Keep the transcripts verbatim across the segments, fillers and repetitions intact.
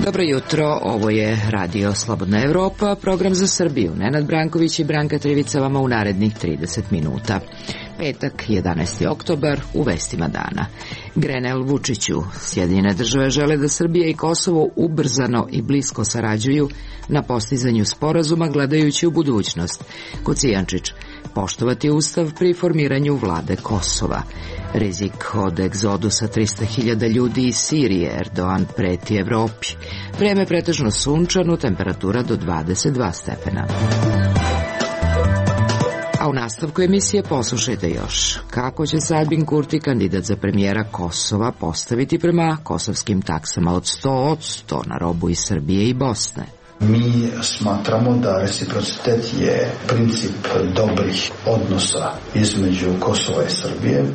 Dobro jutro, ovo je Radio Slobodna Evropa, program za Srbiju. Nenad Branković i Branka Trivica vama u narednih trideset minuta. Petak, jedanaesti oktobar, u vestima dana. Grenell Vučiću, Sjedinjene države žele da Srbija i Kosovo ubrzano i blisko sarađuju na postizanju sporazuma gledajući u budućnost. Kocijančić, poštovati ustav pri formiranju vlade Kosova. Rizik od egzodusa trista hiljada ljudi iz Sirije, Erdogan preti Evropi. Vreme pretežno sunčano, temperatura do dvadeset dva stepena. A u nastavku emisije poslušajte još kako će se Albin Kurti, kandidat za premijera Kosova, postaviti prema kosovskim taksama od sto odsto na robu iz Srbije i Bosne. Mi smatramo da reciprocitet je princip dobrih odnosa između Kosova i Srbije.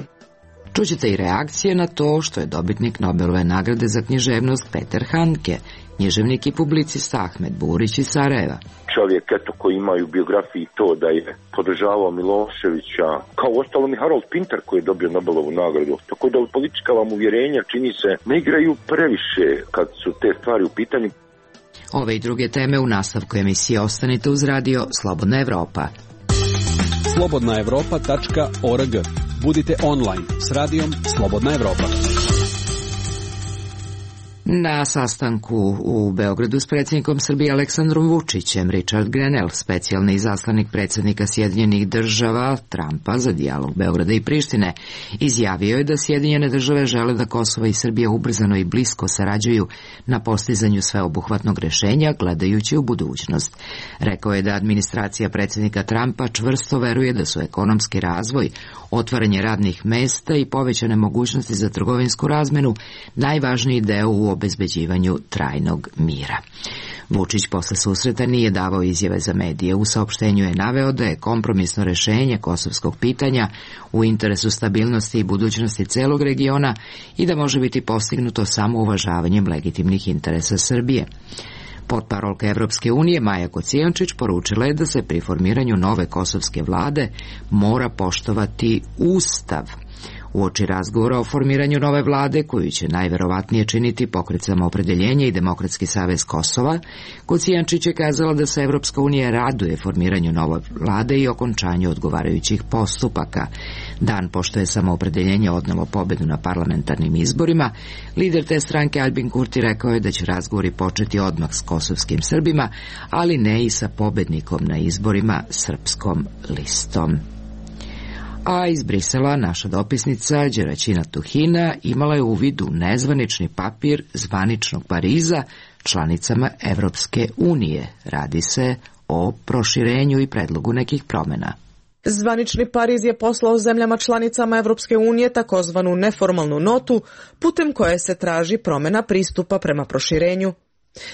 Čućete i reakcije na to što je dobitnik Nobelove nagrade za književnost Peter Handke, književnik i publicista Ahmet Burić iz Sarajeva. Čovjek eto koji ima u biografiji to da je podržavao Miloševića, kao ostalom i Harold Pinter koji je dobio Nobelovu nagradu. Tako da politička vam uvjerenja, čini se, ne igraju previše kad su te stvari u pitanju. Ove i druge teme u nastavku emisije ostanite uz radio Slobodna Evropa. slobodna evropa tačka org. Budite online s radijom Slobodna Evropa. Na sastanku u Beogradu s predsjednikom Srbije Aleksandrom Vučićem, Richard Grenell, specijalni izaslanik predsjednika Sjedinjenih država Trumpa za dijalog Beograda i Prištine, izjavio je da Sjedinjene države žele da Kosovo i Srbija ubrzano i blisko sarađuju na postizanju sveobuhvatnog rešenja gledajući u budućnost. Rekao je da administracija predsjednika Trumpa čvrsto veruje da su ekonomski razvoj, otvaranje radnih mesta i povećane mogućnosti za trgovinsku razmenu najvažniji deo u obezbeđivanju trajnog mira. Vučić posle susreta nije davao izjave za medije. U saopštenju je naveo da je kompromisno rešenje kosovskog pitanja u interesu stabilnosti i budućnosti celog regiona i da može biti postignuto samo uvažavanjem legitimnih interesa Srbije. Potparolka Evropske unije Maja Kocijančić poručila je da se pri formiranju nove kosovske vlade mora poštovati Ustav. Uoči razgovora o formiranju nove vlade, koju će najverovatnije činiti Pokret Samoopredeljenja i Demokratski savez Kosova, Kocijančić je kazala da se Evropska unija raduje formiranju nove vlade i okončanju odgovarajućih postupaka. Dan pošto je Samoopredeljenje odnelo pobedu na parlamentarnim izborima, lider te stranke Albin Kurti rekao je da će razgovori početi odmah s kosovskim Srbima, ali ne i sa pobednikom na izborima, Srpskom listom. A iz Brisela naša dopisnica Đeraćina Tuhina imala je uvid u nezvanični papir zvaničnog Pariza članicama Evropske unije. Radi se o proširenju i predlogu nekih promjena. Zvanični Pariz je poslao zemljama članicama Evropske unije takozvanu neformalnu notu putem koje se traži promjena pristupa prema proširenju.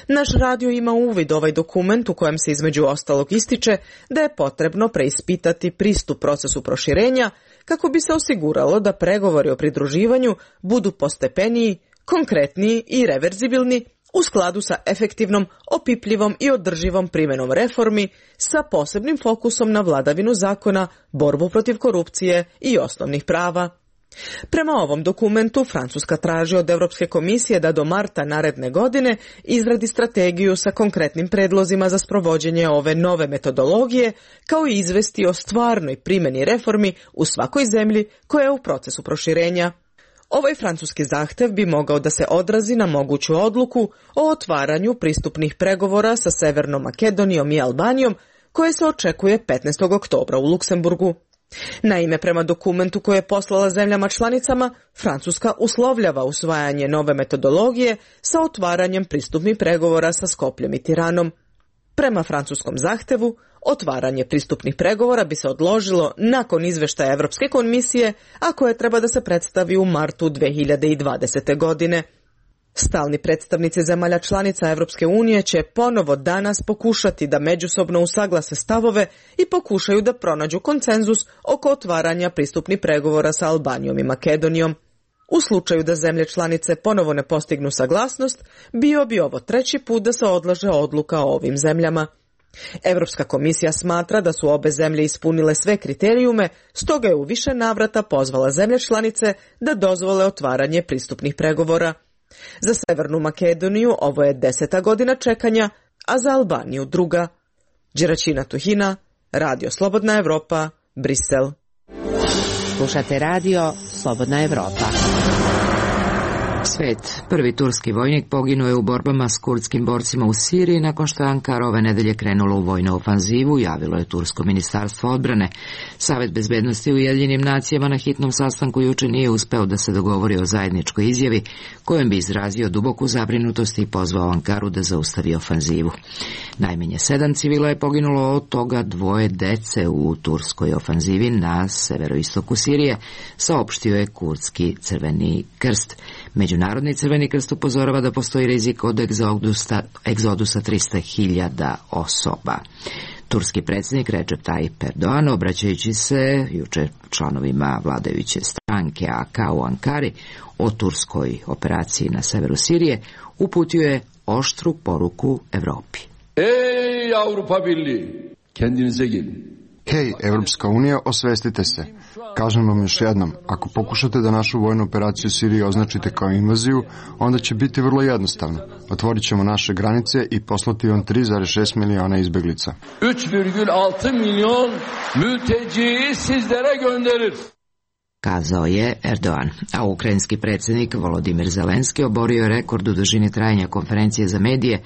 Naš radio ima uvid ovaj dokument u kojem se između ostalog ističe da je potrebno preispitati pristup procesu proširenja kako bi se osiguralo da pregovori o pridruživanju budu postepeniji, konkretniji i reverzibilni u skladu sa efektivnom, opipljivom i održivom primjenom reformi sa posebnim fokusom na vladavinu zakona, borbu protiv korupcije i osnovnih prava. Prema ovom dokumentu, Francuska traži od Evropske komisije da do marta naredne godine izradi strategiju sa konkretnim predlozima za sprovođenje ove nove metodologije, kao i izvesti o stvarnoj primjeni reformi u svakoj zemlji koja je u procesu proširenja. Ovaj francuski zahtev bi mogao da se odrazi na moguću odluku o otvaranju pristupnih pregovora sa Severnom Makedonijom i Albanijom, koje se očekuje petnaestog oktobra u Luksemburgu. Naime, prema dokumentu koje je poslala zemljama članicama, Francuska uslovljava usvajanje nove metodologije sa otvaranjem pristupnih pregovora sa Skopljem i Tiranom. Prema francuskom zahtevu, otvaranje pristupnih pregovora bi se odložilo nakon izveštaja Evropske komisije, a koje treba da se predstavi u martu dve hiljade dvadesete. godine. Stalni predstavnici zemalja članica Evropske unije će ponovo danas pokušati da međusobno usaglase stavove i pokušaju da pronađu konsenzus oko otvaranja pristupnih pregovora sa Albanijom i Makedonijom. U slučaju da zemlje članice ponovo ne postignu saglasnost, bio bi ovo treći put da se odlaže odluka o ovim zemljama. Evropska komisija smatra da su obe zemlje ispunile sve kriterijume, stoga je u više navrata pozvala zemlje članice da dozvole otvaranje pristupnih pregovora. Za Severnu Makedoniju ovo je deseta godina čekanja, a za Albaniju druga. Đeraćina Tuhina, Radio Slobodna Evropa, Brisel. Slušate radio Slobodna Evropa. Svet. Prvi turski vojnik poginuo je u borbama s kurdskim borcima u Siriji nakon što je Ankara ove nedelje krenulo u vojnu ofanzivu, javilo je Tursko ministarstvo odbrane. Savet bezbednosti u Ujedinjenim nacijama na hitnom sastanku juče nije uspeo da se dogovori o zajedničkoj izjavi kojom bi izrazio duboku zabrinutost i pozvao Ankaru da zaustavi ofanzivu. Najmanje sedam civila je poginulo, od toga dvoje dece u turskoj ofanzivi na severoistoku Sirije, saopštio je kurdski Crveni krst. Međunarodni Crveni krst upozorava da postoji rizik od egzodusa, egzodusa trista hiljada osoba. Turski predsjednik Recep Tayyip Erdogan, obraćajući se juče članovima vladajuće stranke A K u Ankari o turskoj operaciji na severu Sirije, uputio je oštru poruku Evropi. Ej Avrupa Birliği, kendinize gelin. Hej, Evropska unija, osvestite se. Kažem vam još jednom, ako pokušate da našu vojnu operaciju u Siriji označite kao invaziju, onda će biti vrlo jednostavno. Otvorit ćemo naše granice i poslati vam tri zarez šest miliona izbeglica. üç virgül altı milyon mülteciyi sizlere gönderir. Kazao je Erdogan, a ukrajinski predsjednik Volodimir Zelenski oborio je rekord u dužini trajanja konferencije za medije,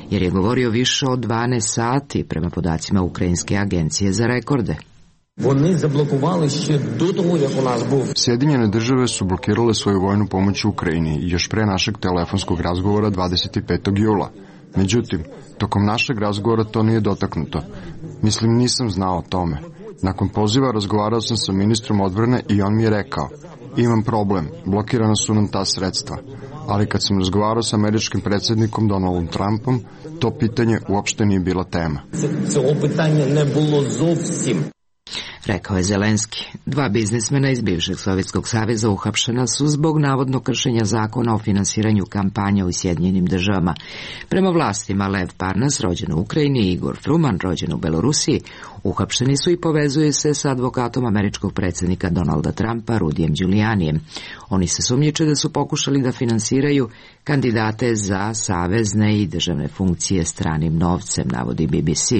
jer je govorio više od dvanaest sati prema podacima Ukrajinske agencije za rekorde. Sjedinjene države su blokirale svoju vojnu pomoć u Ukrajini još pre našeg telefonskog razgovora dvadeset petog jula. Međutim, tokom našeg razgovora to nije dotaknuto. Mislim, nisam znao o tome. Nakon poziva razgovarao sam sa ministrom odbrane i on mi je rekao: imam problem, blokirana su nam ta sredstva. Ali kad sam razgovarao sa američkim predsjednikom Donaldom Trumpom, to pitanje uopšte nije bila tema. Rekao je Zelenski. Dva biznismena iz bivšeg Sovjetskog saveza uhapšena su zbog navodno kršenja zakona o finansiranju kampanja u Sjedinjenim državama. Prema vlastima, Lev Parnas, rođen u Ukrajini, i Igor Fruman, rođen u Belorusiji, uhapšeni su i povezuju se sa advokatom američkog predsjednika Donalda Trumpa, Rudijem Giulianijem. Oni se sumnjiče da su pokušali da finansiraju kandidate za savezne i državne funkcije stranim novcem, navodi B B C.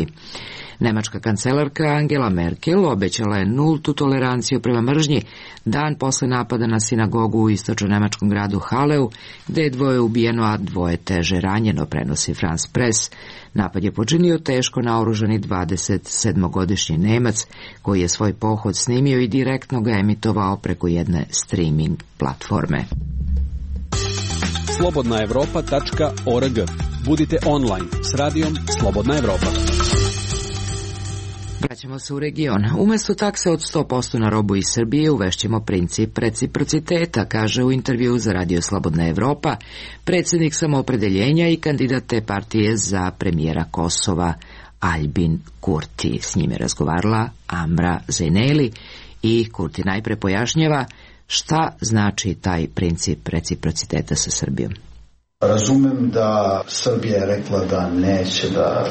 Nemačka kancelarka Angela Merkel obećala je nultu toleranciju prema mržnji dan posle napada na sinagogu u istočno-nemačkom gradu Haleu, gde je dvoje ubijeno, a dvoje teže ranjeno, prenosi France Press. Napad je počinio teško naoružani dvadesetsedmogodišnji Nemac, koji je svoj pohod snimio i direktno ga emitovao preko jedne streaming platforme. slobodna evropa tačka org. Budite online s radijom Slobodna Evropa. Vraćamo se u region. Umesto takse od sto posto na robu iz Srbije uvešćemo princip reciprociteta, kaže u intervju za Radio Slobodna Evropa predsjednik Samoopredeljenja i kandidat te partije za premijera Kosova Aljbin Kurti. S njime razgovarala Amra Zeneli i Kurti najpre pojašnjava šta znači taj princip reciprociteta sa Srbijom. Razumem da Srbija je rekla da neće da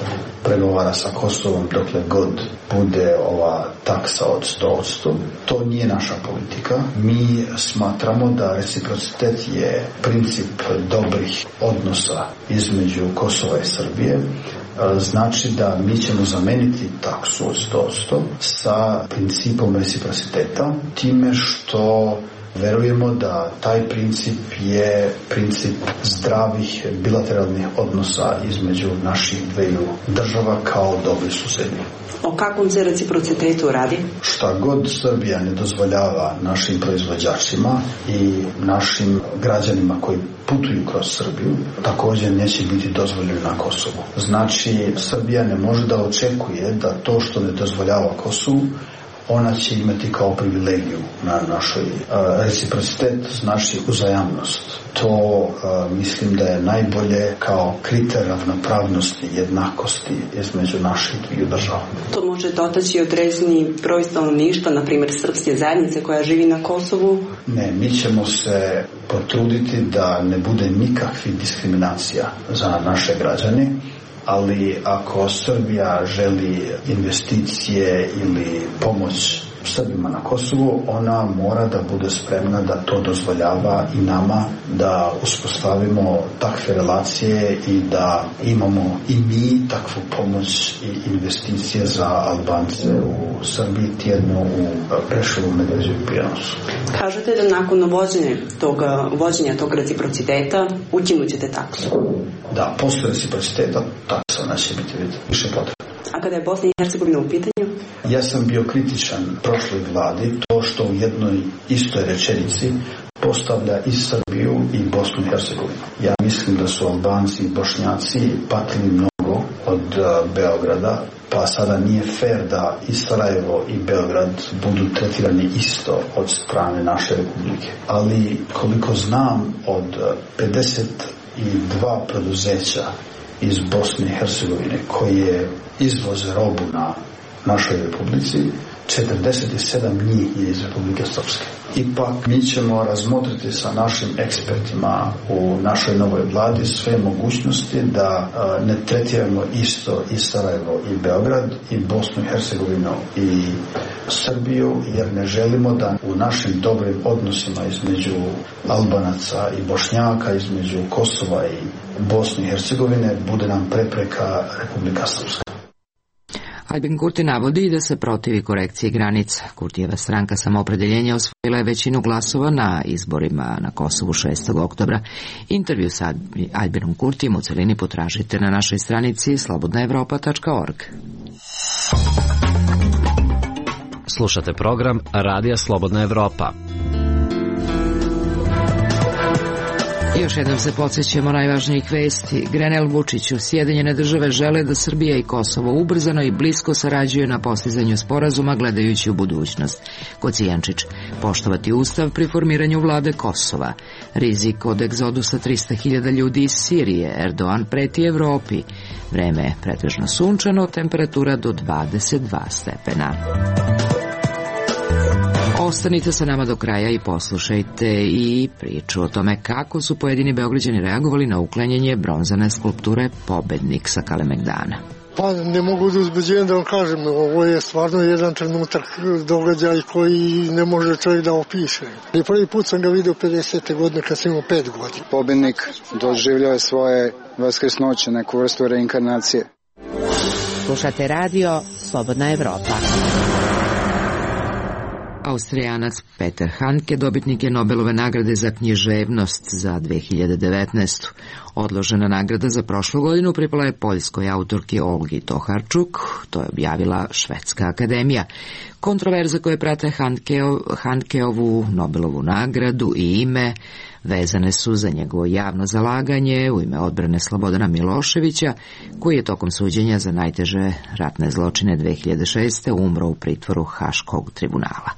pregovara sa Kosovom dokle god bude ova taksa od sto posto. To nije naša politika. Mi smatramo da reciprocitet je princip dobrih odnosa između Kosova i Srbije. Znači da mi ćemo zameniti taksu od sto posto sa principom reciprociteta, time što verujemo da taj princip je princip zdravih bilateralnih odnosa između naših dveju država kao dobri susedi. O kakvom se reciprocitetu radi? Šta god Srbija ne dozvoljava našim proizvođačima i našim građanima koji putuju kroz Srbiju, također neće biti dozvoljeno na Kosovu. Znači, Srbija ne može da očekuje da to što ne dozvoljava Kosovu, ona će imati kao privilegiju na našoj uh, reciprocitet, znači uzajamnost. To uh, mislim da je najbolje kao kriterij ravnopravnosti i jednakosti između naših dviju država. To može dotaći određeni broj stanovništva, na primjer srpske zajednice koja živi na Kosovu? Ne, mi ćemo se potruditi da ne bude nikakvih diskriminacija za naše građane, ali ako Srbija želi investicije ili pomoć Srbima na Kosovu, ona mora da bude spremna da to dozvoljava i nama, da uspostavimo takve relacije i da imamo i mi takvu pomoć i investicije za Albance u Srbiji, tjedno u Preševu, Medveđu i Prijanosu. Kažete da nakon vođenja tog, vođenja tog reciprociteta ukinut ćete taksu? Da, postoje reciprociteta, taksa neće biti više potrebna. A kada je Bosna i Hercegovina u pitanju? Ja sam bio kritičan prošloj vladi, to što u jednoj istoj rečenici postavlja i Srbiju i Bosnu i Hercegovinu. Ja mislim da su Albanci i Bošnjaci patili mnogo od uh, Beograda, pa sada nije fair da i Sarajevo i Beograd budu tretirani isto od strane naše republike. Ali koliko znam, od pedeset dva preduzeća iz Bosne i Hercegovine koje izvoze robu na našoj republici, četrdeset sedam njih je iz Republike Srpske. Ipak mi ćemo razmotriti sa našim ekspertima u našoj novoj vladi sve mogućnosti da a, ne tretiramo isto i Sarajevo i Beograd i Bosnu i Hercegovinu i Srbiju, jer ne želimo da u našim dobrim odnosima između Albanaca i Bošnjaka, između Kosova i Bosne i Hercegovine bude nam prepreka Republika Srpska. Albin Kurti navodi da se protivi korekciji granica. Kurtijeva stranka Samoopredeljenja osvojila je većinu glasova na izborima na Kosovu šestog oktobra. Intervju sa Albinom Kurtijem u celini potražite na našoj stranici slobodna evropa tačka org. Slušate program Radija Slobodna Evropa. Još jednom se podsjećamo najvažnijih vesti. Grenell Vučiću, Sjedinjene države žele da Srbija i Kosovo ubrzano i blisko sarađuju na postizanju sporazuma gledajući u budućnost. Kocijančić, poštovati ustav pri formiranju vlade Kosova. Rizik od egzodusa trista hiljada ljudi iz Sirije. Erdogan preti Evropi. Vreme je pretežno sunčano, temperatura do dvadeset dva stepena. Ostanite sa nama do kraja i poslušajte i priču o tome kako su pojedini Beograđani reagovali na uklanjanje bronzane skulpture Pobednik sa Kalemegdana. Pa ne mogu da uzbeđujem da vam kažem, ovo je stvarno jedan trenutak događaj koji ne može čovjek da opiše. I prvi put sam ga vidio pedesete godine kad sam imao pet godina. Pobednik doživljao je svoje vaskrsnoće, neku vrstu reinkarnacije. Slušate radio Slobodna Evropa. Austrijanac Peter Handke dobitnik je Nobelove nagrade za književnost za dve hiljade devetnaestu. Odložena nagrada za prošlu godinu pripala je poljskoj autorki Olgi Toharčuk, to je objavila Švedska akademija. Kontroverze koje prate Handkeo, Handkeovu Nobelovu nagradu i ime vezane su za njegovo javno zalaganje u ime odbrane Slobodana Miloševića, koji je tokom suđenja za najteže ratne zločine dve hiljade šeste. umro u pritvoru Haškog tribunala.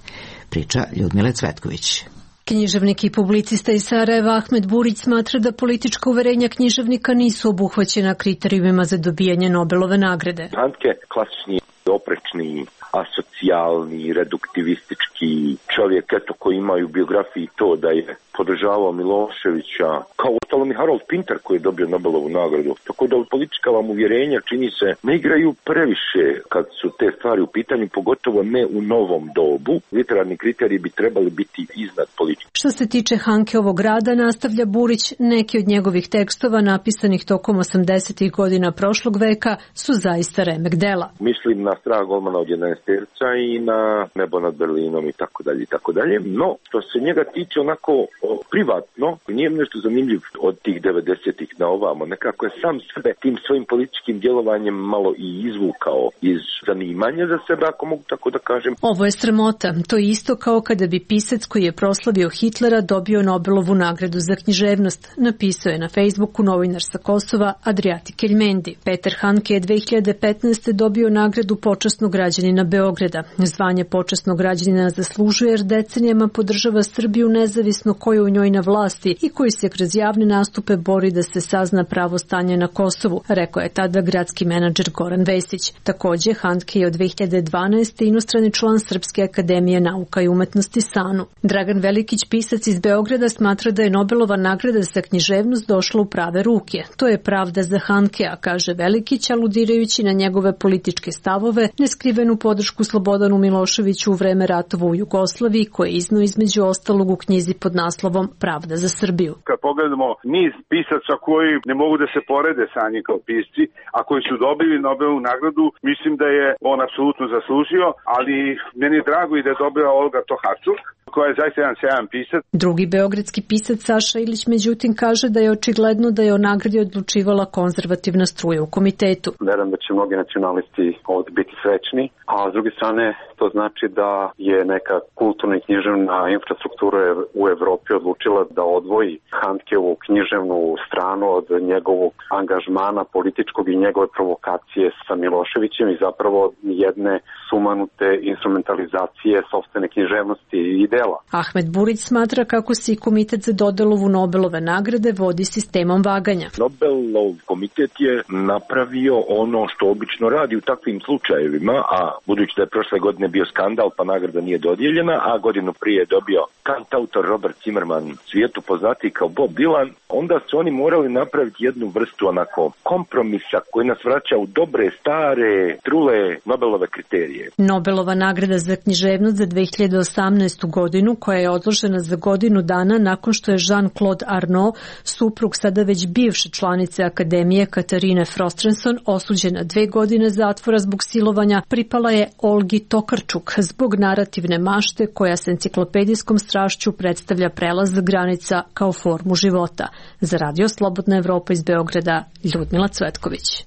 Priča Ljudmile Cvetković. Književnik i publicista iz Sarajeva Ahmed Burić smatra da politička uverenja književnika nisu obuhvaćena kriterijumima za dobijanje Nobelove nagrade. Handke, klasični, oprečni, asocijalni, reduktivistički čovjek, eto, koji imaju u biografiji to da je podržavao Miloševića, kao uostalom i Harold Pinter koji je dobio Nobelovu nagradu. Tako da politička vam uvjerenja, čini se, ne igraju previše kad su te stvari u pitanju, pogotovo ne u novom dobu. Literarni kriteriji bi trebali biti iznad politike. Što se tiče Handkeovog rada, nastavlja Burić, neki od njegovih tekstova napisanih tokom osamdesetih godina prošlog veka su zaista remek dela. Mislim na Strah golmana od jedanaesterca i na Nebo nad Berlinom i tako dalje i tako dalje. No, što se njega tiče onako o, privatno, nije nešto zanimljiv od tih devedesetih na ovamo. Nekako je sam sebe tim svojim političkim djelovanjem malo i izvukao iz zanimanja za sebe, ako mogu tako da kažem. Ovo je sramota. To je isto kao kada bi pisac koji je proslavio Hitlera dobio Nobelovu nagradu za književnost, napisao je na Facebooku novinar sa Kosova Adriati Keljmendi. Peter Handke je dve hiljade petnaeste. dobio nagradu počasnog građanina Beograda. Zvanje počasnog građanina zaslužuje jer decenijama podržava Srbiju nezavisno ko je u njoj na vlasti i koji se kroz javne nastupe bori da se sazna pravo stanje na Kosovu, rekao je tada gradski menadžer Goran Vesić. Takođe, Handke je od dve hiljade dvanaeste. inostrani član Srpske akademije nauka i umetnosti SANU. Dragan Velikić, pisac iz Beograda, smatra da je Nobelova nagrada za književnost došla u prave ruke. To je pravda za Handkea, kaže Velikić, aludirajući na njegove političke stavove stavove, neskrivenu podršku Slobodanu Miloševiću u vreme ratova u Jugoslaviji, koje je izneo između ostalog u knjizi pod naslovom Pravda za Srbiju. Kad pogledamo niz pisaca koji ne mogu da se porede sa njim kao pisci, a koji su dobili Nobelovu nagradu, mislim da je on apsolutno zaslužio, ali meni je drago i da je dobila Olga Tokarczuk, koja je zaista jedan sjajan pisac. Drugi beogradski pisac Saša Ilić međutim kaže da je očigledno da je o nagradi odlučivala konzervativna struja u komitetu. Verujem da će mnogi nacionalisti ovdje biti srećni, a s druge strane to znači da je neka kulturna i književna infrastruktura u Evropi odlučila da odvoji Handkeovu književnu stranu od njegovog angažmana političkog i njegove provokacije sa Miloševićem i zapravo jedne sumanute instrumentalizacije sopstvene književnosti i idela. Ahmed Burić smatra kako se i komitet za dodelovu Nobelove nagrade vodi sistemom vaganja. Nobelov komitet je napravio ono što obično radi u takvim slučajevima, a budući da je prošle godine bio skandal pa nagrada nije dodijeljena, a godinu prije je dobio kantautor Robert Zimmerman, svijetu poznatiji kao Bob Dylan, onda su oni morali napraviti jednu vrstu onako kompromisa koji nas vraća u dobre, stare, trule Nobelove kriterije. Nobelova nagrada za književnost za dve hiljade osamnaestu godinu, koja je odložena za godinu dana nakon što je Jean-Claude Arnault, suprug sada već bivše članice Akademije Katarine Frostrenson, osuđena dve godine zatvora zbog silovanja, pripala je Olgi Tokarczuk zbog narativne mašte koja s enciklopedijskom strašću predstavlja prelaz granica kao formu života. Za Radio Slobodna Evropa iz Beograda, Ljudmila Cvetković.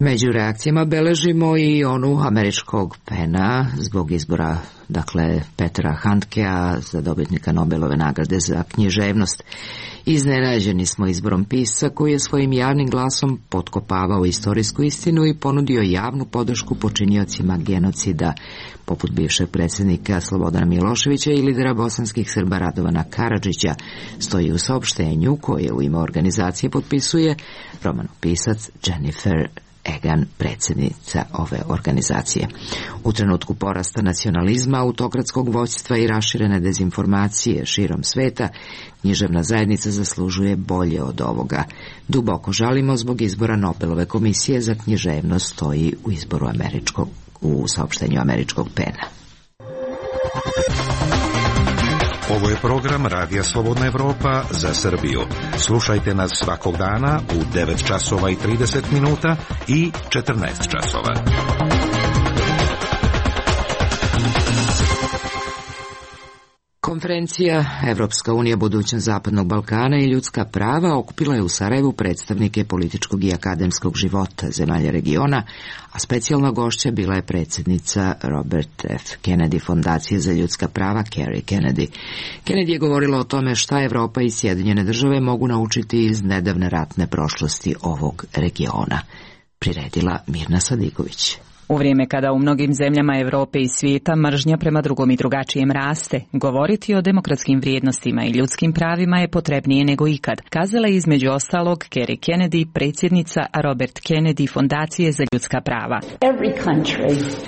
Među reakcijama beležimo i onu američkog Pena zbog izbora, dakle, Petera Handkea za dobitnika Nobelove nagrade za književnost. Iznenađeni smo izborom pisca koji je svojim javnim glasom potkopavao istorijsku istinu i ponudio javnu podršku počiniocima genocida, poput bivšeg predsjednika Slobodana Miloševića i lidera bosanskih Srba Radovana Karadžića, stoji u saopštenju koje u ime organizacije potpisuje romanopisac Jennifer Egan, predsjednica ove organizacije. U trenutku porasta nacionalizma, autokratskog vođstva i raširene dezinformacije širom sveta, književna zajednica zaslužuje bolje od ovoga. Duboko žalimo zbog izbora Nobelove komisije za književnost, stoji u izboru američkog, u saopštenju američkog Pena. Ovo je program Radija Slobodna Evropa za Srbiju. Slušajte nas svakog dana u devet časova i trideset minuta i četrnaest časova. Konferencija Evropska unija, budućnost Zapadnog Balkana i ljudska prava okupila je u Sarajevu predstavnike političkog i akademskog života zemalja regiona, a specijalna gošća bila je predsjednica Robert F. Kennedy Fondacije za ljudska prava Kerry Kennedy. Kennedy je govorila o tome šta Evropa i Sjedinjene države mogu naučiti iz nedavne ratne prošlosti ovog regiona. Priredila Mirna Sadigović. U vrijeme kada u mnogim zemljama Evrope i svijeta mržnja prema drugom i drugačijem raste, govoriti o demokratskim vrijednostima i ljudskim pravima je potrebnije nego ikad, kazala je između ostalog Kerry Kennedy, predsjednica Robert Kennedy Fondacije za ljudska prava.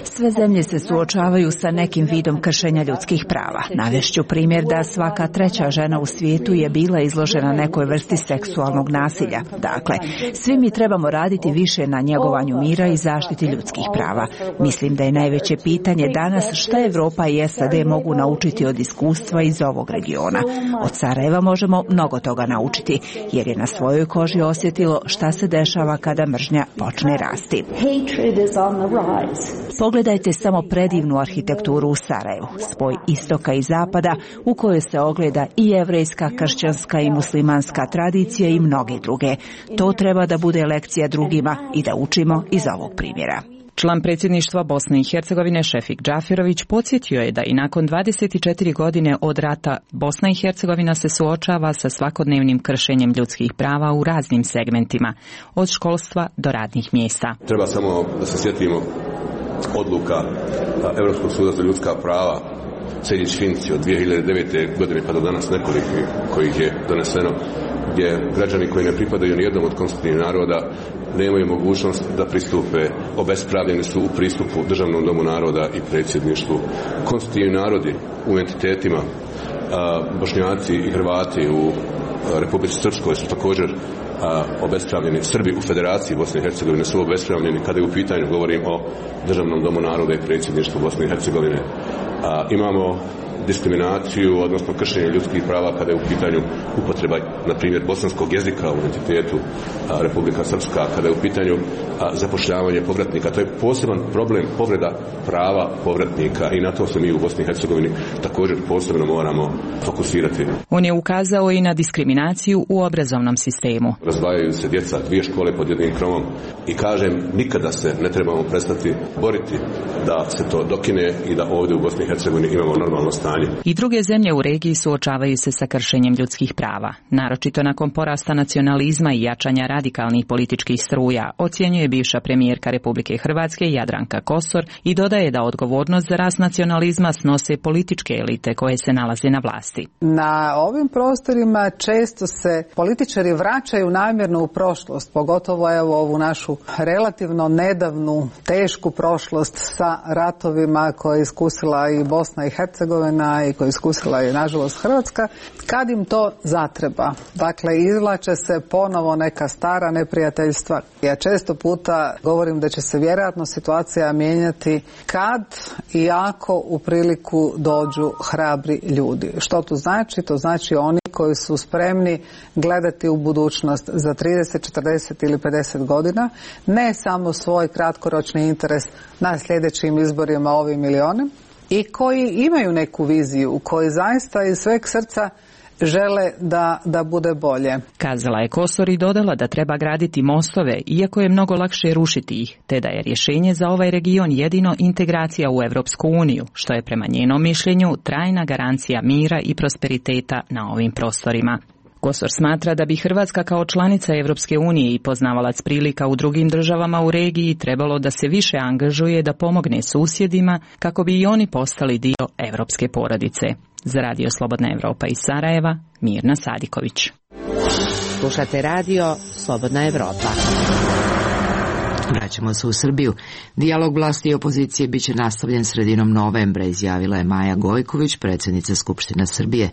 Sve zemlje se suočavaju sa nekim vidom kršenja ljudskih prava. Navešću primjer da svaka treća žena u svijetu je bila izložena nekoj vrsti seksualnog nasilja. Dakle, svi mi trebamo raditi više na njegovanju mira i zaštiti ljudskih prava. Mislim da je najveće pitanje danas šta Evropa i S A D mogu naučiti od iskustva iz ovog regiona. Od Sarajeva možemo mnogo toga naučiti, jer je na svojoj koži osjetilo šta se dešava kada mržnja počne rasti. Pogledajte samo predivnu arhitekturu u Sarajevu, spoj istoka i zapada u kojoj se ogleda i jevrejska, kršćanska i muslimanska tradicija i mnoge druge. To treba da bude lekcija drugima i da učimo iz ovog primjera. Član predsjedništva Bosne i Hercegovine Šefik Džafirović podsjetio je da i nakon dvadeset četiri godine od rata Bosna i Hercegovina se suočava sa svakodnevnim kršenjem ljudskih prava u raznim segmentima, od školstva do radnih mjesta. Treba samo da se sjetimo odluka Europskog suda za ljudska prava Sejdić-Finci od dvije hiljade devete. godine pa do danas nekoliko kojih je doneseno, gdje građani koji ne pripadaju nijednom od konstitutivnih naroda nemaju mogućnost da pristupe, obespravljeni su u pristupu Državnom domu naroda i predsjedništvu. Konstitutivni narodi u entitetima, Bošnjaci i Hrvati u Republici Srpskoj su također a, obespravljeni. Srbi u Federaciji Bosne i Hercegovine su obespravljeni kada je u pitanju, govorim o Državnom domu naroda i predsjedništvu Bosne i Hercegovine. A, imamo diskriminaciju, odnosno kršenje ljudskih prava kada je u pitanju upotreba, na primjer, bosanskog jezika u entitetu a, Republika Srpska, kada je u pitanju a, zapošljavanje povratnika. To je poseban problem, povreda prava povratnika i na to se mi u Bosni i Hercegovini također posebno moramo fokusirati. On je ukazao i na diskriminaciju u obrazovnom sistemu. Razdvajaju se djeca, dvije škole pod jednim krovom i kažem, nikada se ne trebamo prestati boriti da se to dokine i da ovdje u Bosni i Hercegovini imamo normalno stanje. I druge zemlje u regiji suočavaju se sa kršenjem ljudskih prava, naročito nakon porasta nacionalizma i jačanja radikalnih političkih struja, ocjenjuje bivša premijerka Republike Hrvatske Jadranka Kosor i dodaje da odgovornost za rast nacionalizma snose političke elite koje se nalaze na vlasti. Na ovim prostorima često se političari vraćaju namjerno u prošlost, pogotovo evo ovu našu relativno nedavnu tešku prošlost sa ratovima koje je iskusila i Bosna i Hercegovina i koju iskusila je nažalost Hrvatska, kad im to zatreba. Dakle, izvlače se ponovo neka stara neprijateljstva. Ja često puta govorim da će se vjerojatno situacija mijenjati kad i ako u priliku dođu hrabri ljudi. Što to znači? To znači oni koji su spremni gledati u budućnost za trideset, četrdeset ili pedeset godina, ne samo svoj kratkoročni interes na sljedećim izborima ovim ili onim, i koji imaju neku viziju, koji zaista iz sveg srca žele da, da bude bolje. Kazala je Kosor i dodala da treba graditi mostove, iako je mnogo lakše rušiti ih, te da je rješenje za ovaj region jedino integracija u Europsku uniju, što je prema njenom mišljenju trajna garancija mira i prosperiteta na ovim prostorima. Kosor smatra da bi Hrvatska kao članica Europske unije i poznavalac prilika u drugim državama u regiji trebalo da se više angažuje da pomogne susjedima kako bi i oni postali dio europske porodice. Za Radio Slobodna Evropa iz Sarajeva, Mirna Sadiković. Slušate Radio Slobodna Evropa. Vraćamo se u Srbiju. Dijalog vlasti i opozicije biće nastavljen sredinom novembra, izjavila je Maja Gojković, predsjednica Skupštine Srbije.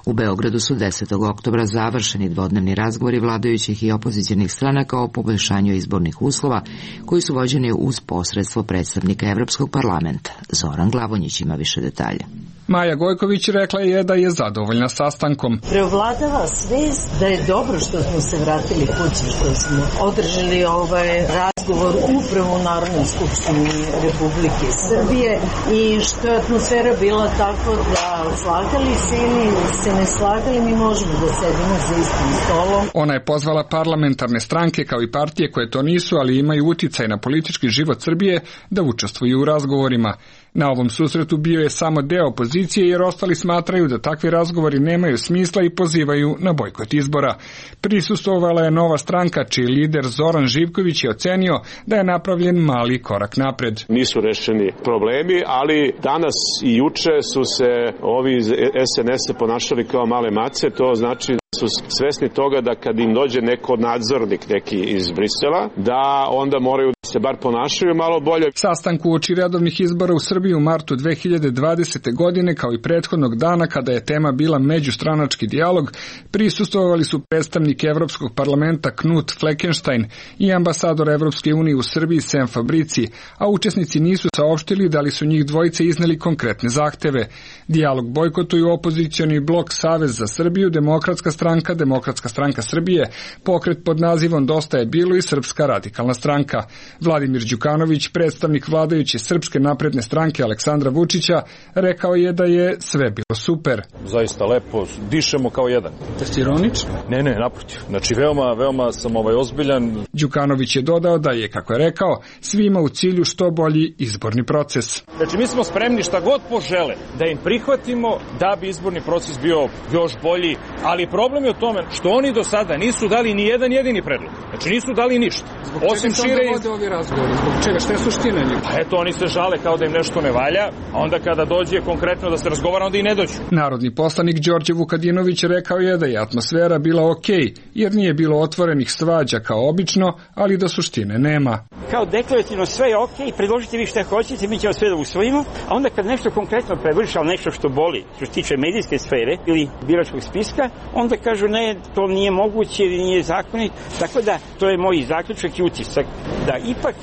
U Beogradu su desetog oktobra završeni dvodnevni razgovori vladajućih i opozicionih stranaka o poboljšanju izbornih uslova, koji su vođeni uz posredstvo predstavnika Evropskog parlamenta. Zoran Glavonjić ima više detalja. Maja Gojković rekla je da je zadovoljna sastankom. Preovladava svest da je dobro što smo se vratili kući, što smo održali ovaj razgovor upravo u Narodnoj skupštini Republike Srbije i što je atmosfera bila tako da slagali se ili se ne slagali, mi možemo da sedimo za istim stolom. Ona je pozvala parlamentarne stranke kao i partije koje to nisu, ali imaju uticaj na politički život Srbije, da učestvuju u razgovorima. Na ovom susretu bio je samo deo opozicije jer ostali smatraju da takvi razgovori nemaju smisla i pozivaju na bojkot izbora. Prisustvovala je Nova stranka, čiji lider Zoran Živković je ocenio da je napravljen mali korak napred. Nisu rešeni problemi, ali danas i juče su se ovi iz es en es ponašali kao male mace, to znači da su svesni toga da kad im dođe neko nadzornik neki iz Brisela, da onda moraju da se bar ponašaju malo bolje. Sastanku uoči redovnih izbora u Srbiji u martu dve hiljade dvadesete. godine, kao i prethodnog dana kada je tema bila međustranački dijalog, prisustvovali su predstavnik Evropskog parlamenta Knut Fleckenstein i ambasador Evropske unije u Srbiji Sem Fabrici, a učesnici nisu saopštili da li su njih dvojice izneli konkretne zahteve. Dijalog bojkotuju opozicioni blok Savez za Srbiju, Demokratska stranka, Demokratska stranka Srbije, pokret pod nazivom Dosta je bilo i Srpska radikalna stranka. Vladimir Đukanović, predstavnik vladajuće Srpske napredne stranke Aleksandra Vučića, rekao je da je sve bilo super. Zaista lepo, dišemo kao jedan. Da si ironičan? Ne, ne, naprotiv. Znači, veoma, veoma sam ovaj ozbiljan. Đukanović je dodao da je, kako je rekao, svima u cilju što bolji izborni proces. Znači, mi smo spremni šta god požele da im prihvatimo da bi izborni proces bio još bolji, ali problem je u tome što oni do sada nisu dali ni jedan jedini predlog. Znači, nisu dali ništa. Osim šire, ovi razgovori? Zbog čega? Šta je suština njih? Pa eto, oni se žale kao da im nešto ne valja, a onda kada dođe konkretno da se razgovara, onda i ne dođu. Narodni poslanik Đorđe Vukadinović rekao je da je atmosfera bila okej, jer nije bilo otvorenih svađa kao obično, ali da suštine nema. Kao deklarativno sve je okej, predložite vi šta hoćete, mi ćemo sve da usvojimo, a onda kad nešto konkretno prevrši, ali nešto što boli, što se tiče medijske sfere ili biračkog spiska, onda kažu ne, to nije moguće ili nije zakonit. Tako da, to je moj zaključak i utisak, da ipak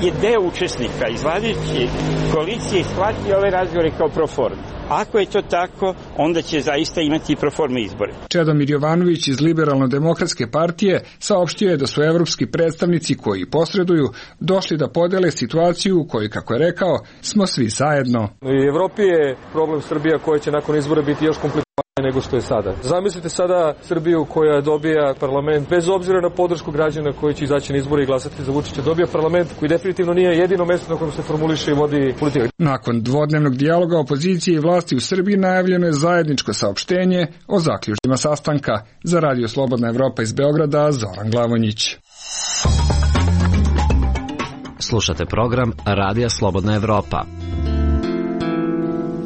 je deo učesnika iz vladajuće koalicije shvatio ove razgovore kao proforme. Ako je to tako, onda će zaista imati proforme izbore. Čedomir Jovanović iz Liberalno-demokratske partije saopštio je da su evropski predstavnici koji posreduju došli da podele situaciju u kojoj, kako je rekao, smo svi zajedno. U Evropi je problem Srbija koja će nakon izbora biti još komplikovanija nego što je sada. Zamislite sada Srbiju koja dobija parlament, bez obzira na podršku građana koji će izaći na izbore i glasati za Vučića, dobija parlament koji definitivno nije jedino mesto na kojem se formuliše i vodi politika. Nakon dvodnevnog dijaloga opozicije i vlasti u Srbiji najavljeno je zajedničko saopštenje o zaključcima sastanka. Za Radio Slobodna Evropa iz Beograda, Zoran Glavonjić. Slušate program Radija Slobodna Evropa.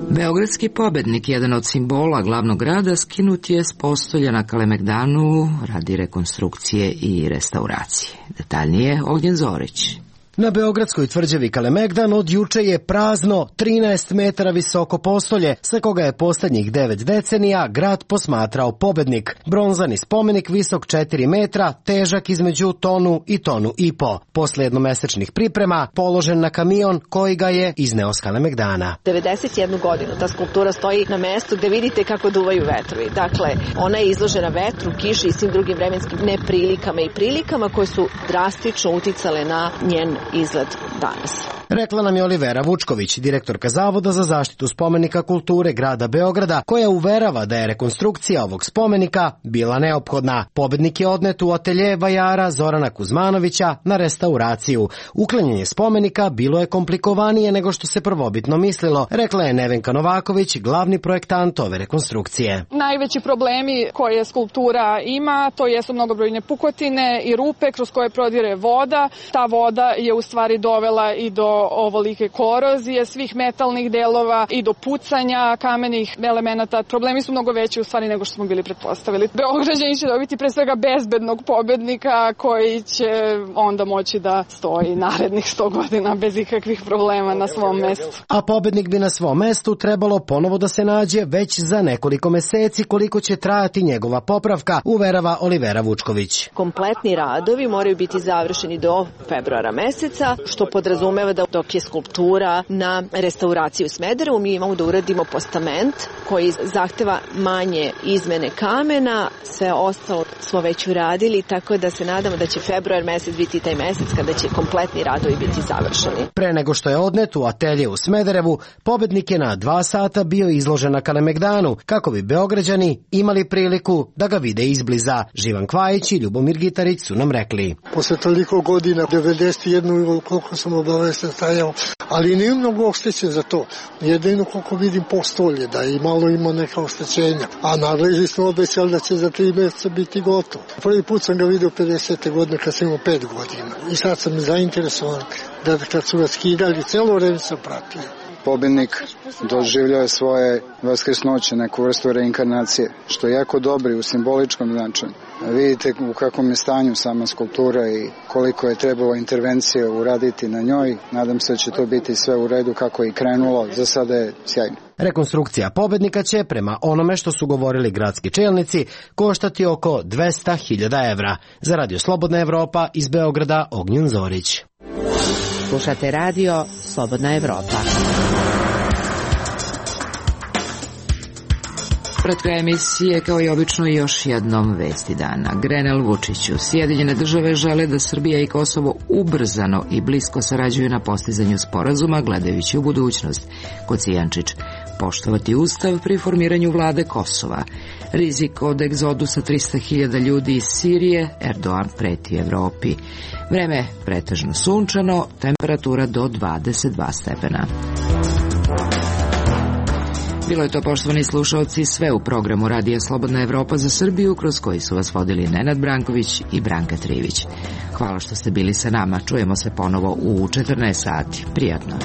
Beogradski pobednik, jedan od simbola glavnog grada, skinut je s postolja na Kalemegdanu radi rekonstrukcije i restauracije. Detaljnije Ognjen Zorić. Na beogradskoj tvrđavi Kalemegdan od juče je prazno trinaest metara visoko postolje, sa koga je posljednjih devet decenija grad posmatrao pobednik. Bronzani spomenik visok četiri metra, težak između tonu i tonu i po. Posle jednomesečnih priprema, položen na kamion koji ga je izneo s Kalemegdana. devedeset jednu godinu ta skulptura stoji na mestu gde vidite kako duvaju vetrovi. Dakle, ona je izložena vetru, kiši i svim drugim vremenskim neprilikama i prilikama koje su drastično uticale na njen izgled danas. Rekla nam je Olivera Vučković, direktorka Zavoda za zaštitu spomenika kulture grada Beograda, koja uverava da je rekonstrukcija ovog spomenika bila neophodna. Pobednik je odnet u atelje vajara Zorana Kuzmanovića na restauraciju. Uklanjanje spomenika bilo je komplikovanije nego što se prvobitno mislilo, rekla je Nevenka Novaković, glavni projektant ove rekonstrukcije. Najveći problemi koje skulptura ima, to jesu mnogobrojne pukotine i rupe kroz koje prodire voda. Ta voda je u stvari dovela i do ovolike korozije svih metalnih delova i do pucanja kamenih elemenata. Problemi su mnogo veći u stvari nego što smo bili pretpostavili. Beograđani će dobiti pre svega bezbednog pobednika koji će onda moći da stoji narednih sto godina bez ikakvih problema na svom mestu. A pobednik bi na svom mestu trebalo ponovo da se nađe već za nekoliko meseci, koliko će trajati njegova popravka, uverava Olivera Vučković. Kompletni radovi moraju biti završeni do februara meseca, što podrazumeva da dok je skulptura na restauraciji u Smederevu, mi imamo da uradimo postament koji zahteva manje izmene kamena, sve ostalo smo već uradili, tako da se nadamo da će februar mesec biti taj mesec kada će kompletni radovi biti završeni. Pre nego što je odnet u atelje u Smederevu, pobednik je na dva sata bio izložen na Kalemegdanu, kako bi Beograđani imali priliku da ga vide izbliza. Živan Kvajić i Ljubomir Gitarić su nam rekli. Posle toliko godina, devedeset jednu koliko sam obavestan stajao, ali nije mnogo oštećen za to. Jedino koliko vidim postolje, da i malo ima neka oštećenja. A nadležni smo obećali da će za tri mjeseca biti gotovo. Prvi put sam ga vidio pedesete godine kad sam imao pet godina. I sad sam zainteresovan da kad su ga skidali, celo vreme sam pratio. Pobednik doživljao je svoje vaskrsnoće, neku vrstu reinkarnacije, što je jako dobro u simboličkom značaju. Vidite u kakvom je stanju sama skulptura i koliko je trebalo intervencije uraditi na njoj. Nadam se da će to biti sve u redu kako je i krenulo. Za sada je sjajno. Rekonstrukcija pobednika će, prema onome što su govorili gradski čelnici, koštati oko dvesta hiljada evra. Za Radio Slobodna Evropa iz Beograda, Ognjen Zorić. Slušate Radio Slobodna Evropa. Pred kraj emisije, kao i obično, još jednom vesti dana. Grenell Vučiću. Sjedinjene države žele da Srbija i Kosovo ubrzano i blisko sarađuju na postizanju sporazuma, gledajući u budućnost. Kocijančić. Poštovati ustav pri formiranju vlade Kosova. Rizik od egzodusa trista hiljada ljudi iz Sirije, Erdogan preti Evropi. Vreme pretežno sunčano, temperatura do dvadeset dva stepena. Bilo je to, poštovani slušaoci, sve u programu Radija Slobodna Evropa za Srbiju, kroz koji su vas vodili Nenad Branković i Branka Trivić. Hvala što ste bili sa nama. Čujemo se ponovo u četrnaest sati. Prijatno.